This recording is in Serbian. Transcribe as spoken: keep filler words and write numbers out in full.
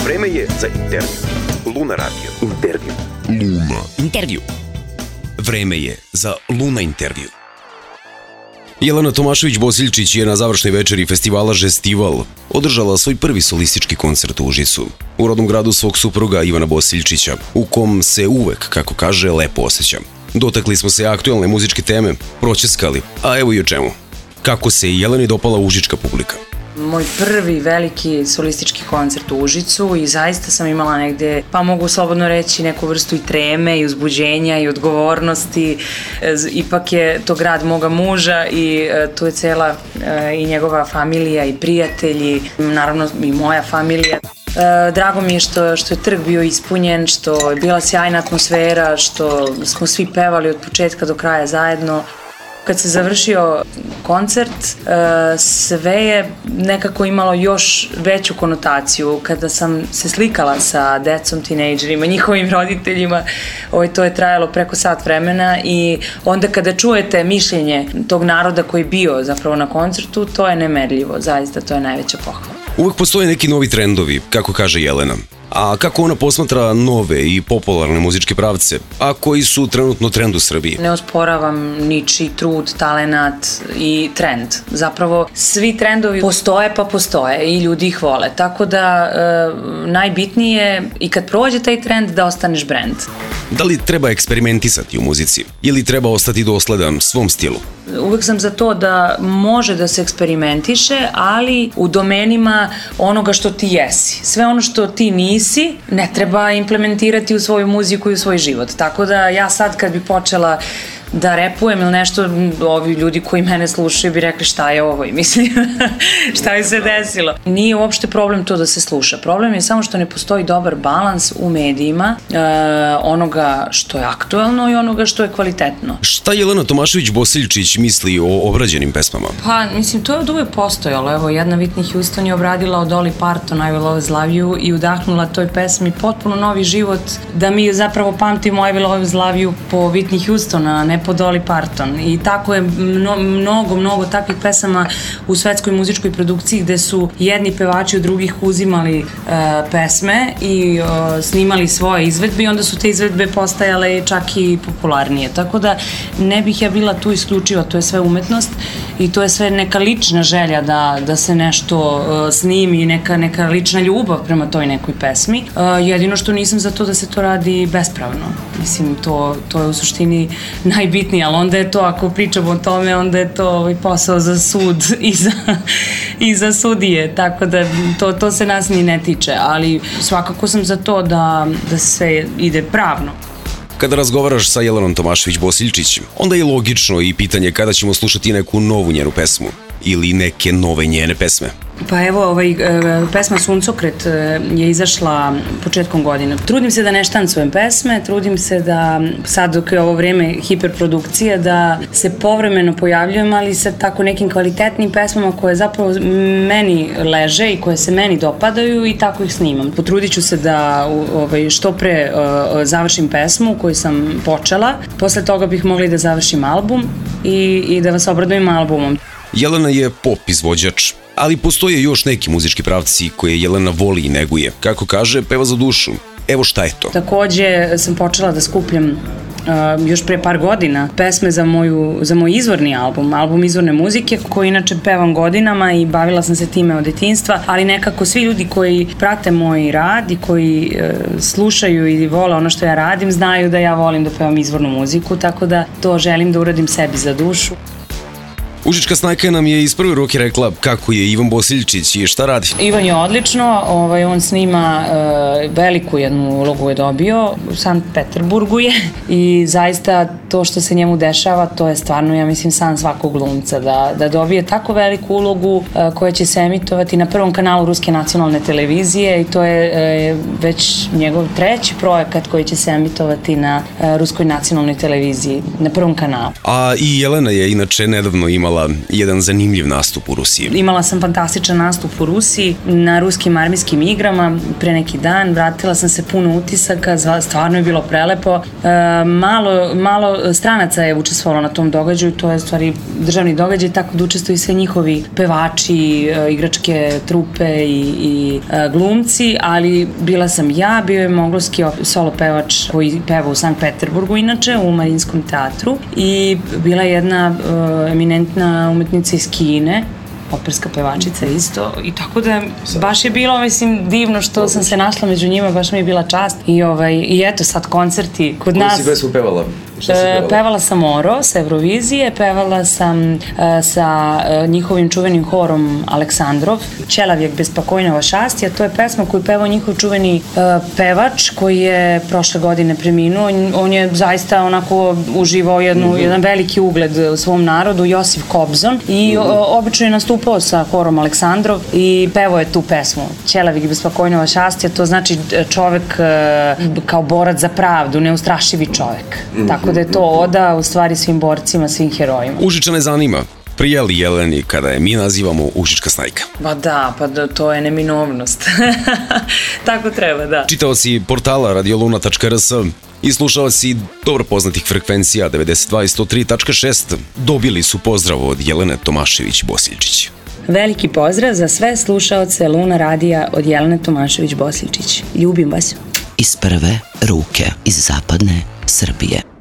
Vreme je za intervju. Luna Radio. Intervju. Luna. Intervju. Vreme je za Luna intervju. Jelena Tomašević-Bosiljčić je na završnoj večeri festivala Žestival održala svoj prvi solistički koncert u Užicu, u rodnom gradu svog supruga Ivana Bosiljčića, u kom se uvek, kako kaže, lepo osjeća. Dotakli smo se aktuelne muzičke teme, proćeskali, a evo i o čemu. Kako se i Jeleni dopala užička publika. Moj prvi veliki solistički koncert u Užicu i zaista sam imala negde, pa mogu slobodno reći, neku vrstu i treme i uzbuđenja i odgovornosti. Ipak je to grad moga muža i tu je cela i njegova familija i prijatelji, naravno i moja familija. Drago mi je što, što je trg bio ispunjen, što je bila sjajna atmosfera, što smo svi pevali od početka do kraja zajedno. Kad se završio koncert, sve je nekako imalo još veću konotaciju. Kada sam se slikala sa decom, tinejdžerima, njihovim roditeljima, to je trajalo preko sat vremena i onda kada čujete mišljenje tog naroda koji je bio zapravo na koncertu, to je nemerljivo, zaista to je najveća pohvala. Uvek postoje neki novi trendovi, kako kaže Jelena. A kako ona posmatra nove i popularne muzičke pravce, a koji su trenutno trend u Srbiji? Ne osporavam ničiji trud, talenat i trend. Zapravo, svi trendovi postoje pa postoje i ljudi ih vole. Tako da, e, najbitnije je i kad prođe taj trend da ostaneš brend. Da li treba eksperimentisati u muzici ili treba ostati dosledan svom stilu? Uvek sam za to da može da se eksperimentiše, ali u domenima onoga što ti jesi. Sve ono što ti nisi, ne treba implementirati u svoju muziku i u svoj život. Tako da ja sad kad bi počela da repujem ili nešto, ovi ljudi koji mene slušaju bi rekli šta je ovo i mislim šta je se desilo. Nije uopšte problem to da se sluša. Problem je samo što ne postoji dobar balans u medijima e, onoga što je aktuelno i onoga što je kvalitetno. Šta Jelena Tomašević-Bosiljčić misli o obrađenim pesmama? Pa, mislim, to je od uvek postojalo. Evo, jedna Whitney Houston je obradila od Dolly Parton I Will Always Love You i udahnula toj pesmi potpuno novi život, da mi zapravo pamtimo I Will Always Love You po Whitney Houston, a ne po Dolly Parton. I tako je mno, mnogo, mnogo takvih pesama u svetskoj muzičkoj produkciji gde su jedni pevači od drugih uzimali uh, pesme i uh, snimali svoje izvedbe i onda su te izvedbe postajale čak i popularnije. Tako da ne bih ja bila tu isključiva, to je sve umetnost i to je sve neka lična želja da, da se nešto uh, snimi, neka, neka lična ljubav prema toj nekoj pesmi. Uh, jedino što nisam za to da se to radi bespravno. Mislim, to, to je u suštini najbitnije, ali onda je to, ako pričamo o tome, onda je to ovaj posao za sud i za, i za sudije, tako da to, to se nas ni ne tiče, ali svakako sam za to da, da sve ide pravno. Kada razgovaraš sa Jelenom Tomašević-Bosiljčić, onda je logično i pitanje kada ćemo slušati neku novu njenu pesmu ili neke nove njene pesme. Pa evo, ovaj, pesma Suncokret je izašla početkom godine. Trudim se da ne štancujem pesme, trudim se da, sad dok je ovo vreme hiperprodukcije, da se povremeno pojavljujem, ali sa tako nekim kvalitetnim pesmama koje zapravo meni leže i koje se meni dopadaju i tako ih snimam. Potrudit ću se da ovaj, što pre uh, završim pesmu koju sam počela, posle toga bih mogla da završim album i, i da vas obradujem albumom. Jelena je pop izvođač, ali postoje još neki muzički pravci koje Jelena voli i neguje. Kako kaže, peva za dušu. Evo šta je to. Takođe sam počela da skupljam uh, još pre par godina pesme za, moju, za moj izvorni album, album izvorne muzike, koji inače pevam godinama i bavila sam se time od detinjstva, ali nekako svi ljudi koji prate moj rad i koji uh, slušaju i vole ono što ja radim, znaju da ja volim da pevam izvornu muziku, tako da to želim da uradim sebi za dušu. Užička snajka nam je iz prve ruke rekla kako je Ivan Bosiljčić i šta radi. Ivan je odlično, ovaj, on snima e, veliku jednu ulogu je dobio, u Sankt Peterburgu je i zaista to što se njemu dešava, to je stvarno, ja mislim, san svakog glumca, da, da dobije tako veliku ulogu e, koja će se emitovati na prvom kanalu Ruske nacionalne televizije i to je e, već njegov treći projekat koji će se emitovati na e, Ruskoj nacionalnoj televiziji, na prvom kanalu. A i Jelena je inače nedavno imala imala jedan zanimljiv nastup u Rusiji. Imala sam fantastičan nastup u Rusiji na ruskim armijskim igrama pre neki dan, vratila sam se puno utisaka, stvarno je bilo prelepo. E, malo, malo stranaca je učestvovalo na tom događaju, to je stvari državni događaj, tako da učestvuju sve njihovi pevači, e, igračke trupe i, i e, glumci, ali bila sam ja, bio je mongolski solo pevač koji peva u Sankt Peterburgu inače, u Mariinskom teatru, i bila je jedna e, eminentna umetnica iz Kine, operska pevačica isto, i tako da baš je bilo, mislim, divno što sam se našla među njima, baš mi je bila čast i, ovaj, i eto sad koncerti kod Koju nas. Koju si pesmu pevala? Šta si pevala? Pevala sam Oro sa Eurovizije, pevala sam uh, sa uh, njihovim čuvenim horom Aleksandrov, Čelavjek bez pakojnova šastija, to je pesma koju pevao njihov čuveni uh, pevač koji je prošle godine preminuo, on je zaista onako uživao jednu, mm-hmm. jedan veliki ugled u svom narodu, Josif Kobzon, i mm-hmm. o, obično je nastupao sa horom Aleksandrov i pevao je tu pesmu Čelavjek bez pakojnova šastija, to znači čovek uh, kao borac za pravdu, neustrašivi čovek. Mm-hmm. Tako da je to oda u stvari svim borcima, svim herojima. Užičane zanima, prija li Jeleni kada je mi nazivamo Užička snajka? Pa da, pa da, to je neminovnost. Tako treba, da. Čitaoci portala radioluna tačka r s i slušaoci dobro poznatih frekvencija devedeset dva i sto tri tačka šest dobili su pozdrav od Jelene Tomašević-Bosiljčić. Veliki pozdrav za sve slušaoce Luna radija od Jelene Tomašević-Bosiljčić. Ljubim vas. Iz prve ruke iz zapadne Srbije.